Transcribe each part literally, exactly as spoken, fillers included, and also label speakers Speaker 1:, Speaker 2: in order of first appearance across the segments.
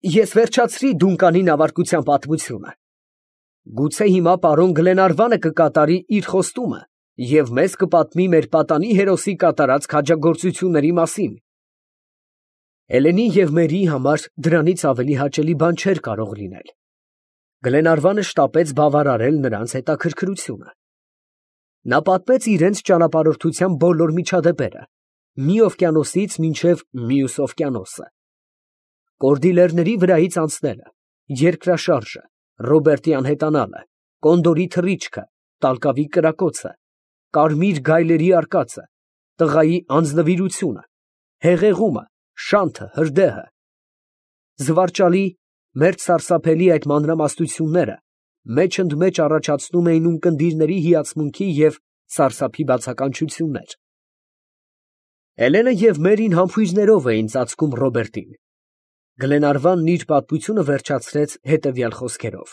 Speaker 1: Ես վերջացրի Դունկանի նավարկության պատմությունը. գուցե հիմա պարոն Գլենարվանը կկատարի իր խոստումը և մեզ կպատմի մեր պատանի հերոսի կատարած քաջագործությունների մասին։ Հելենի և Մերիի համար դրանից ավելի հաճելի բան չէր կարող լինել։ Գլենարվանը շտապեց բավարարել նրանց հետաքրքրությունը։ Նա պատմեց իրենց ճանապարհորդության բոլոր միջադեպերը, մի օվկիանոսից մինչև մյուս օվկիանոսը. Կորդիլերների վրայից անցնելը, երկրաշարժը, Ռոբերտի անհետանալը, Կոնդորի թռիչքը, Տալկավի կրակոցը, կարմիր գայլերի արկածը, տղայի անձնվիրությունը, հեղեղումը, շանթը, հրդեհը, զվարճալի, մերթ սարսափելի այդ մանրամասնությունները մեջընդմեջ առաջացնում էին ունկնդիրների հիացմունքի և սարսափի բացականչություններ։ Հելենը և Մերին համբույրներով էին ծածկում Ռոբերտին։ Գլենարվանն իր պատմությունը վերջացրեց հետևյալ խոսքերով.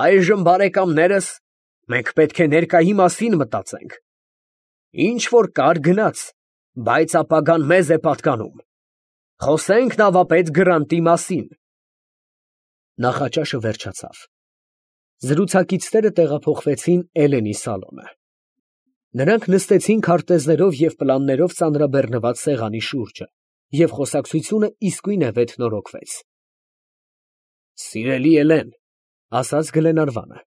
Speaker 1: «Այժմ, բարեկամներս, մենք պետք է ներկայի մասին մտածենք։ Ինչ որ կար գնաց, բայց ապագան մեզ է պատկանում։ Խոսենք նավապետ Գրանտի մասին»։ Նախաճաշը վերջացավ։ Զրուցակիցները տեղափոխվեցին Էլենի սալոնը։ Նրանք նստեցին քարտեզներով և պլաններով ծանրաբեռնված սեղանի շուրջը, և խոսակցությունը իսկույն վեթնորոգվեց։ «Սիրելի Էլեն, ֊ ասաց Գլենարվանը, ֊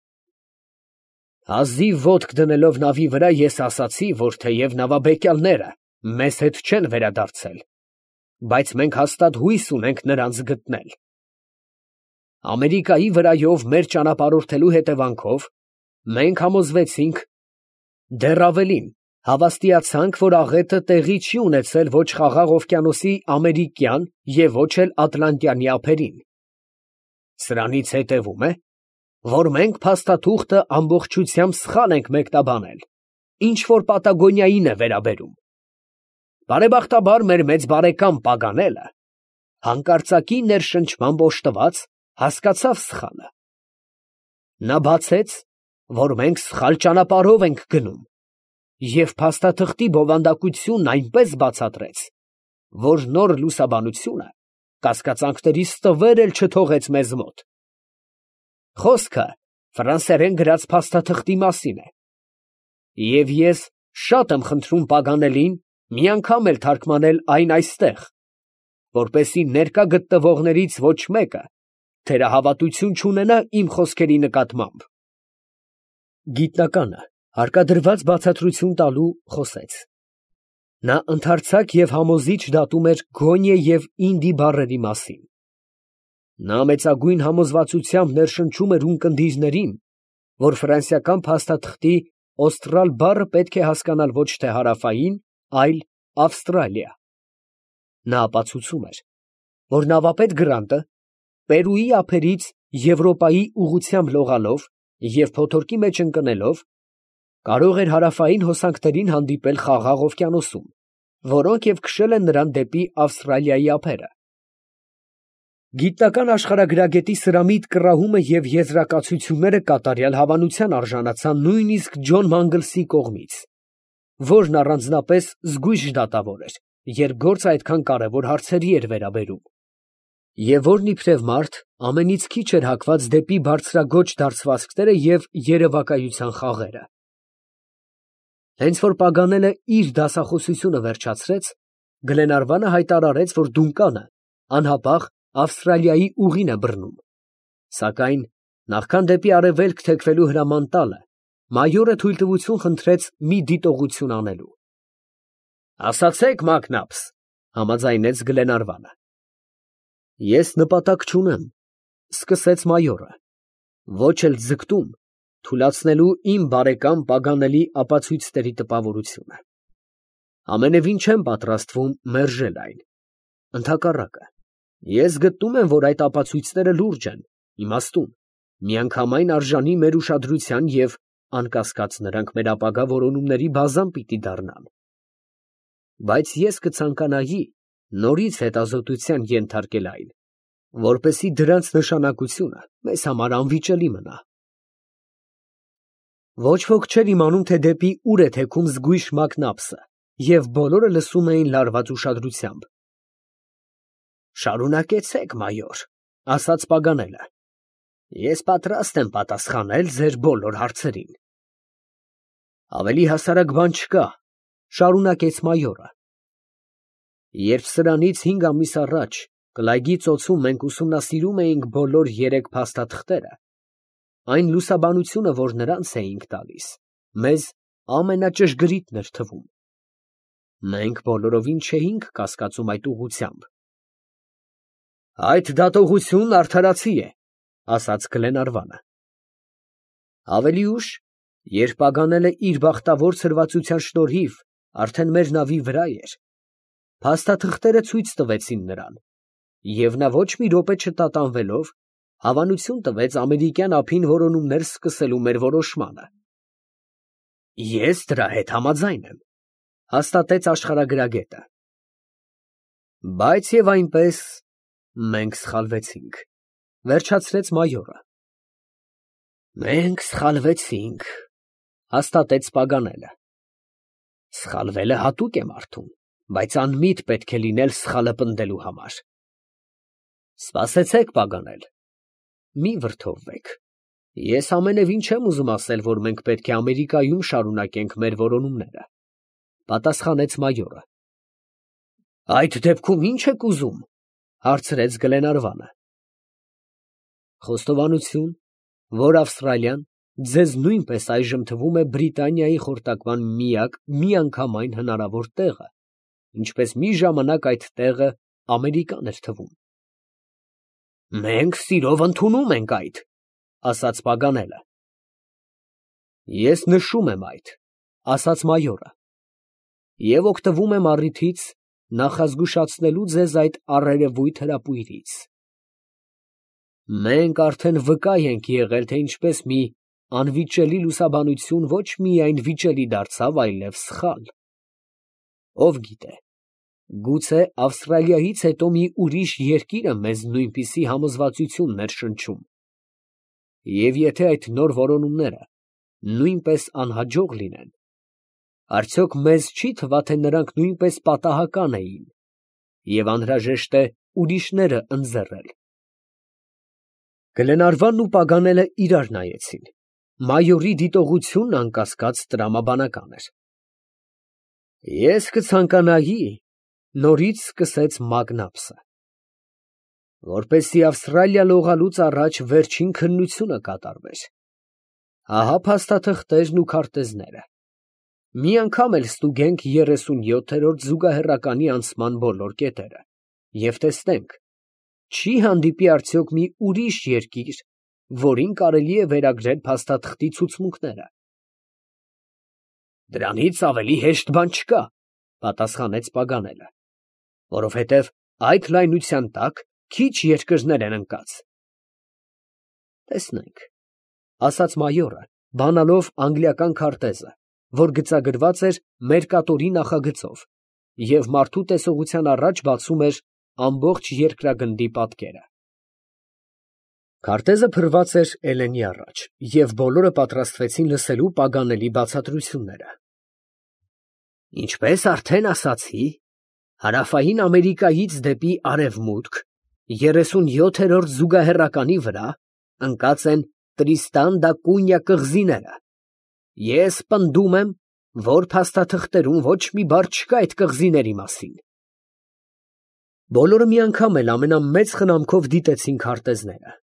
Speaker 1: հազիվ ոտք դնելով նավի վրա, ես ասացի, որ թեև նավաբեկյալները մեզ հետ չեն վերադարձել, բայց մենք հաստատ հույս ունենք նրանց գտնել։ Ամերիկայի վրայով մեր ճանապարհորդելու հետևանքով մենք համոզվեցինք, դեռ ավելին, հավաստիացանք, որ աղետը տեղի չի ունեցել ոչ Խաղաղ օվկիանոսի ամերիկյան և ոչ էլ ատլանտյանի ափերին։ Սրանից հետևում է, որ մենք փաստաթուղթը ամբողջությամբ սխալ ենք մեկնաբանել, ինչ որ Պատագոնիային է վերաբերում։ Բարեբախտաբար մեր մեծ բարեկամ Պագանելը հանկարծակի ներշնչմամբ օժտված հասկացավ սխալը։ Նա բացեց, որ մենք սխալ ճանապարհով ենք գնում, և փաստաթղթի բովանդակությունն այնպես բացատրեց, որ նոր լուսաբանությունը կասկածանքների ստվեր էլ չթողեց մեզ մոտ։ Խոսքը ֆրանսերեն գրած փաստաթղթի մասին է, և ես շատ եմ խնդրում Պագանելին մի անգամ էլ թարգմանել այն այստեղ, որպեսզի ներկա գտնվողներից ոչ մեկը թերահավատություն չունենա իմ խոսքերի նկատմամբ։ Գիտնականը հարկադրված բացատրություն տալու խոսեց։ Նա ընդարձակ և համոզիչ դատում էր գոնիե և ինդի բառերի մասին։ Նա մեծագույն համոզվածությամբ ներշնչում էր ունկնդիրներին, որ ֆրանսիական փաստաթղթի օստրալ բառը պետք է հասկանալ ոչ թե հարավային, այլ Ավստրալիա։ Նա ապացուցում էր, որ նավապետ Գրանտը Պերուի ափերից Եվրոպայի ուղղությամբ լողալով և փոթորկի մեջ ընկնելով կարող էր հարավային հոսանքներին հանդիպել Խաղաղ օվկիանոսում, որոնք և քշել են նրան դեպի Ավստրալիայի ափերը։ Գիտնական աշխարհագրագետի սրամիտ կռահումը և եզրակացությունները կատարյալ հավանության արժանացան նույնիսկ Ջոն Մանգլսի կողմից, որն առանձնապես զգույշ դատավոր էր, երբ գործը այդքան կարևոր հարցերի էր վերաբերում, և որն իբրև մարդ ամենից քիչ էր հակված դեպի բարձրաձոչ դարձվածքները և երևակայության խաղերը։ Հենց որ Պագանելը իր դասախոսությունը վերջացրեց, Գլենարվանը հայտարարեց, որ Դունկանը անհապաղ Ավստրալիայի ուղին է բռնում, սակայն նախքան դեպի արևելք թեքվելու հրաման տալը, մայորը թույլտվություն խնդրեց մի դիտողություն անելու։ ֊ Ասացեք, Մակնաբս, ֊ համաձայնեց Գլենարվանը։ ֊ Ես նպատակ չունեմ, ֊ սկսեց մայորը, ֊ ոչ էլ ձգտում թուլացնելու իմ բարեկամ Պագանելի ապացույցների տպավորությունը։ Ամենևին չեմ պատրաստվում մերժել այն, ընդհակառակը, ես գտնում եմ, որ այդ ապացույցները լուրջ են, իմաստուն, միանգամայն արժանի մեր ուշադրության և, անկասկած, նրանք մեր ապագա որոնումների բազան պիտի դառնան։ Բայց ես կցանկանայի նորից հետազոտության ենթարկել այն, որպեսզի դրանց նշանակությունը մեզ համար անվիճելի մնա։ Ոչ ոք չէր իմանում, թե դեպի ուր է թեքում զգույշ Մակնաբսը, և բոլորը լսում էին լարված ուշադրությամբ։ Շարունակեցեք, մայոր, ասաց Պագանելը։ Ես պատրաստ եմ պատասխանել ձեր բոլոր հարցերին։ Ավելի հասարակ բան չկա, շարունակեց մայորը։ Երբ սրանից հինգ ամիս առաջ Կլայգի ծոցում մենք ուսումնասիրում էինք բոլոր երեք փաստաթղթերը, այն լուսաբանությունը, որ նրանց էինք տալիս, մեզ ամենաճշգրիտն էր թվում։ Մենք բոլորովին չէինք կասկածում այդ ուղղությամբ։ Այդ դատողությունն արդարացի է, ասաց Գլենարվանը։ Ավելի ուշ, երբ Պագանելը իր բախտավոր ցրվածության շնորհիվ արդեն մեր նավի վրա էր, փաստաթղթերը ցույց տվեցին նրան, և նա ոչ մի րոպե չտատանվելով հավանություն տվեց ամերիկյան ափին որոնումներ սկսելու մեր որոշմանը։ Ես դրա հետ համաձայն եմ, հաստատեց աշխարհագրագետը։ Բայց եւ այնպես մենք սխալվեցինք, վերջացրեց մայորը։ Մենք սխալվեցինք, հաստատեց Պագանելը։ Սխալվելը հատուկ է մարդուն, բայց անմիտ պետք է լինել սխալը պնդելու համար։ Սպասեցեք, Պագանել, մի վրդովվեք։ Ես ամենևին չեմ ուզում ասել, որ մենք պետք է Ամերիկայում շարունակենք մեր որոնումները, պատասխանեց մայորը։ Այդ դեպքում ի՞նչ եք ուզում, հարցրեց Գլենարվանը։ Խոստովանություն, որ Ավստրալիան ձեզ նույնպես այժմ թվում է Բրիտանիայի խորտակման միակ միանգամայն հնարավոր տեղը, ինչպես մի ժամանակ այդ տեղը Ամերիկան էր թվում։ Մենք սիրով ընդունում ենք այդ, ասաց Պագանելը։ Ես նշում եմ այդ, ասաց մայորը, և օգտվում եմ առիթից նախազգուշացնելու ձեզ այդ առերևույթ հրապույրից։ Մենք արդեն վկա ենք եղել, թե ինչպես մի անվիճելի լուսաբանություն ոչ միայն վիճելի դարձավ, այլև սխալ։ Ով գիտե, գուցե Ավստրալիայից հետո մի ուրիշ երկիր է մեզ նույնպիսի համոզվածություն ներշնչում։ Եվ եթե այդ նոր որոնումները նույնպես անհաջող լինեն, արդյոք մեզ չի թվա, թե նրանք նույնպես պատահական էին և անհրաժեշտ է ուրիշները ընձեռել։ Գլենարվանն ու Պագանելը իրար նայեցին։ Մայորի դիտողությունն անկասկած տրամաբանական էր։ Ես կցանկանայի, նորից սկսեց Մակնաբսը, որպեսզի Ավստրալիա լողալուց առաջ վերջին քննությունը կատարվեր։ Ահա փաստաթղթերն ու քարտեզները։ Մի անգամ էլ ստուգենք երեսունյոթերորդ զուգահեռականի անցման բոլոր կետերը և տեսնենք, չի հանդիպի արդյոք մի ուրիշ երկիր, որին կարելի է վերագրել փաստաթղթի ցուցմունքները։ Դրանից ավելի հեշտ բան չկա, պատասխանեց Պագանելը, որովհետև այդ լայնության տակ քիչ երկրներ են ընկած։ Տեսնենք, ասաց մայորը, բանալով անգլիական քարտեզը, որ գծագրված էր Մերկատորի նախագծով և մարդու տեսողության առաջ բացում էր ամբողջ երկրագնդի պատկերը։ Քարտեզը փռված էր Էլենի առաջ, և բոլորը պատրաստվեցին լսելու Պագանելի բացատրությունները։ Ինչպես արդեն ասացի, Հարավային Ամերիկայից դեպի արևմուտք, երեսունյոթերորդ զուգահեռականի վրա ընկած են Տրիստան դա Կունյա կղզիները։ Ես պնդում եմ, որ փաստաթղթերում ոչ մի բառ չկա այդ կղզիների մասին։ Բոլորը միանգամ էլ ամենամեծ խնամքով դիտեցին քարտեզները։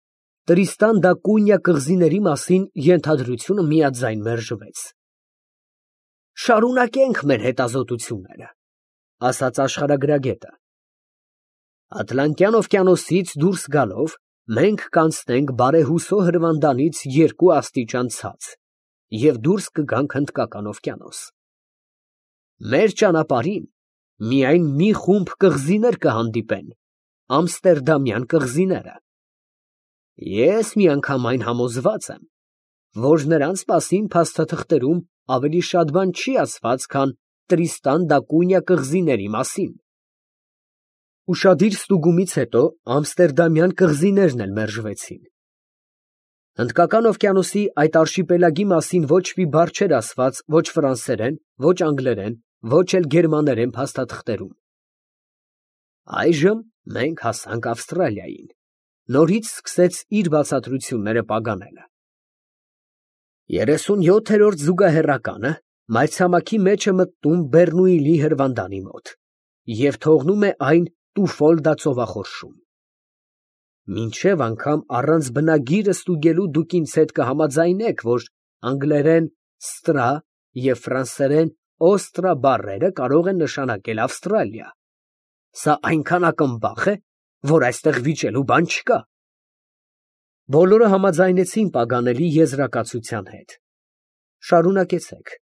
Speaker 1: Տրիստան դա Կունյա կղզիների մասին ենթադրությունը միաձայն մերժվեց։ Շարունակենք մեր հետազոտությունները, ասաց աշխարհագրագետը։ Ատլանտյան օվկիանոսից դուրս գալով մենք կանցնենք բարեհուսո հրվանդանից երկու աստիճան ցած և դուրս կգանք Հնդկական օվկիանոս։ Մեր ճանապարհին միայն մի խումբ կղզիներ կհանդիպեն, ամստերդամյան կղզիները։ Ես միանգամայն համոզված եմ, որ նրանց մասին փաստաթղթերում ավելի շատ բան չի ասված, քան Տրիստան դա Կունյա կղզիների մասին։ Ուշադիր ստուգումից հետո ամստերդամյան կղզիներն էլ մերժվեցին։ Հնդկական օվկիանոսի այդ արշիպելագի մասին ոչ մի բառ չէր ասված ոչ ֆրանսերեն, ոչ անգլերեն, ոչ էլ գերմաներեն փաստաթղթերում։ Այժմ Մենք հասանք Ավստրալիային։ Նորից սկսեց իր բացատրությունները Պագանելը։ Երեսունյոթերորդ զուգահեռականը մայրցամաքի մեջ է մտնում Բեռնուիլի հրվանդանի մոտ և թողնում է այն Տուֆոլդա ծովախորշում։ Մինչև անգամ առանց բնագիրը ստուգելու դուք ինձ հետ կհամաձայնեք, որ անգլերեն ստրա և ֆրանսերեն օստրա բառերը կարող են նշանակել Ավստրալիա։ Սա այնքան ակմբախ է, որ այստեղ վիճելու բան չկա։ Բոլորը համաձայնեցին Պագանելի եզրակացության հետ։ Շարունակեցեք,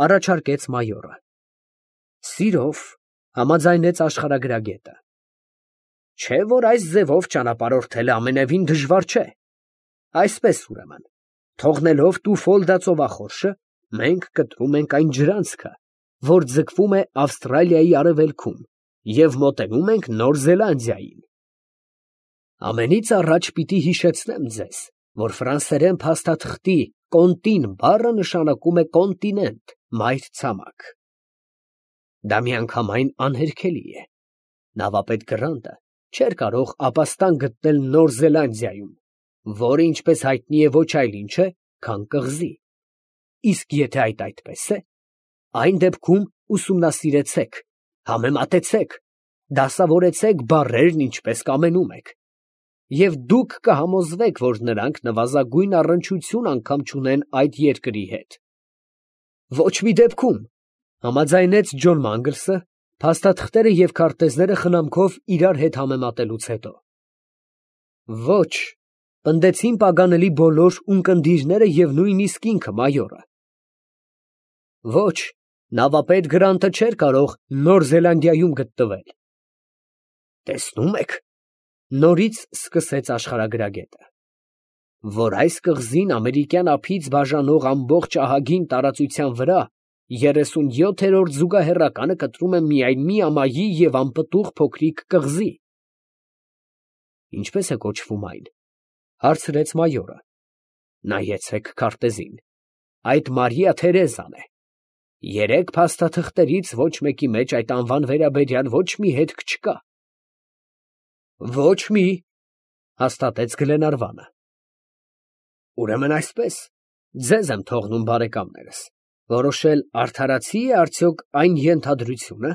Speaker 1: առաջարկեց մայորը։ Սիրով, համաձայնեց աշխարհագրագետը։ Չէ՞ որ այս ձևով ճանապարհորդելը ամենևին դժվար չէ։ Այսպես ուրեմն, թողնելով Տուֆոլդա ծովախորշը, մենք կտրում ենք այն ջրանցքը, որ ձգվում է Ավստրալիայի արևելքում, և մոտենում ենք Նոր Զելանդիային։ Ամենից առաջ պիտի հիշեցնեմ ձեզ, որ ֆրանսերեն փաստաթղթի կոնտին բառը նշանակում է կոնտինենտ, մայրցամաք։ Դա միանգամայն անհերքելի է։ Նավապետ Գրանտը չէր կարող ապաստան գտնել Նոր Զելանդիայում, որը, ինչպես հայտնի է, ոչ այլ ինչ է, քան կղզի։ Իսկ եթե այդ այդպես է, այն դեպքում ուսումնասիրեցեք, համեմատեցեք, դասավորեցեք բառերն ինչպես կամենում եք, և դուք կհամոզվեք, որ նրանք նվազագույն առնչություն անգամ չունեն այդ երկրի հետ։ Ոչ մի դեպքում, համաձայնեց Ջոն Մանգլսը, փաստաթղթերը և քարտեզները խնամքով իրար հետ համեմատելուց հետո։ Ոչ, պնդեցին Պագանելի բոլոր ունկնդիրները և նույնիսկ ինքը մայորը։ Ոչ, նավապետ Գրանտը չէր կարող Նոր Զելանդիայում գտնվել։ Տեսնում եք, նորից սկսեց աշխարհագրագետը, որ այս կղզին ամերիկյան ափից բաժանող ամբողջ ահագին տարածության վրա երեսունյոթերորդ զուգահեռականը կտրում է միայն մի ամայի և անպտուղ փոքրիկ կղզի։ Ինչպե՞ս է կոչվում այն, հարցրեց մայորը։ Նայեցեք քարտեզին, այդ Մարիա Թերեզան է։ Երեք փաստաթղթերից ոչ մեկի մեջ այդ անվան վերաբերյալ ոչ մի հետք չկա։ Ոչ մի, հաստատեց Գլենարվանը։ Ուրեմն այսպես, ձեզ եմ թողնում, բարեկամներս, որոշել արդարացի է արդյոք այն ենթադրությունը,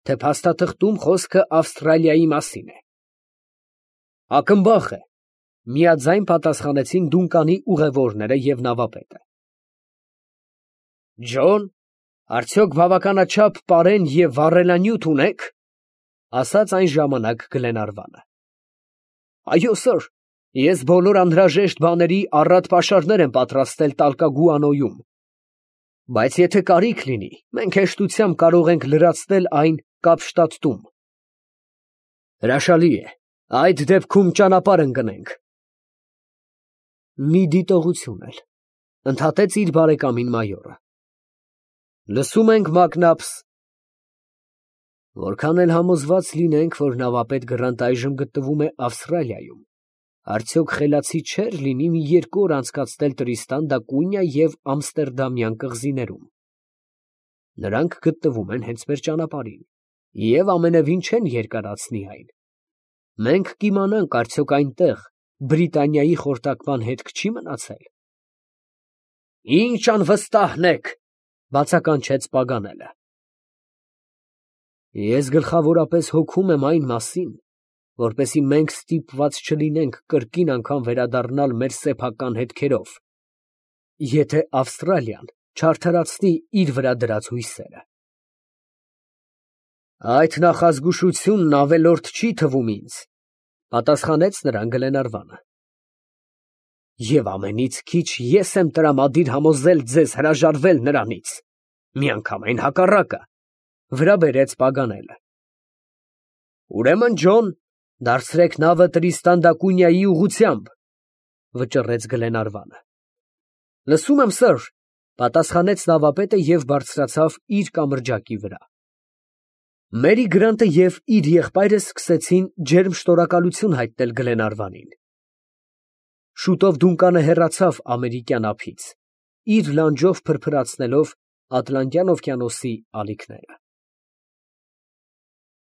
Speaker 1: թե փաստաթղթում խոսքը Ավստրալիայի մասին է։ Ակմբախ է, միաձայն պատասխանեցին Դունկանի ուղևորները և նավապետը։ Ջոն, արդյոք բավականաչափ պարեն և վառելանյութ ունեք, ասաց այն ժամանակ Գլենարվանը։ Այո, սըր, ես բոլոր անհրաժեշտ բաների առատ պաշարներ եմ պատրաստել Տալկագուանոյում, բայց եթե կարիք լինի, մենք հեշտությամբ կարող ենք լրացնել այն Կապշտադտում։ Հրաշալի է, այդ դեպքում ճանապարհ ընկնենք։ Մի դիտողություն էլ, ընդհատեց իր բարեկամին մայորը։ Լսում ենք, Մակնաբս։ Որքան էլ համոզված լինենք, որ նավապետ Գրանտ այժմ գտնվում է Ավստրալիայում, արդյոք խելացի չէր լինի մի երկու օր անցկացնել Տրիստան դա Կունիա և Ամստերդամյան կղզիներում։ Նրանք գտնվում են հենց մեր ճանապարհին և ամենևին չեն երկարացնի այն։ Մենք կիմանանք արդյոք այնտեղ Բրիտանիայի խորտակման հետք չի մնացել։ Ինչ անվստահն եք, բացականչեց Պագանելը։ Ես գլխավորապես հոգում եմ այն մասին, որպեսզի մենք ստիպված չլինենք կրկին անգամ վերադառնալ մեր սեփական հետքերով, եթե Ավստրալիան չարդարացնի իր վրա դրած հույսերը։ Այդ նախազգուշությունն ավելորդ չի թվում ինձ, պատասխանեց նրան Գլենարվանը։ Եվ ամենից քիչ ես եմ տրամադիր համոզել ձեզ հրաժարվել նրանից, միանգամայն հակառակը, վրա բերեց Պագանելը։ Ուրեմն, Ջոն, դարձրեք նավը Տրիստան դա Կունիայի ուղղությամբ, վճռեց Գլենարվանը։ Լսում եմ, սըր, պատասխանեց նավապետը և բարձրացավ իր կամրջակի վրա։ Մերի Գրանտը և իր եղբայրը սկսեցին ջերմ շնորհակալություն հայտնել Գլենարվանին։ Շուտով Դունկանը հեռացավ ամերիկյան ափից, իր լանջով փրփրացնելով Ատլանտյան օվկիանոսի ալիքները։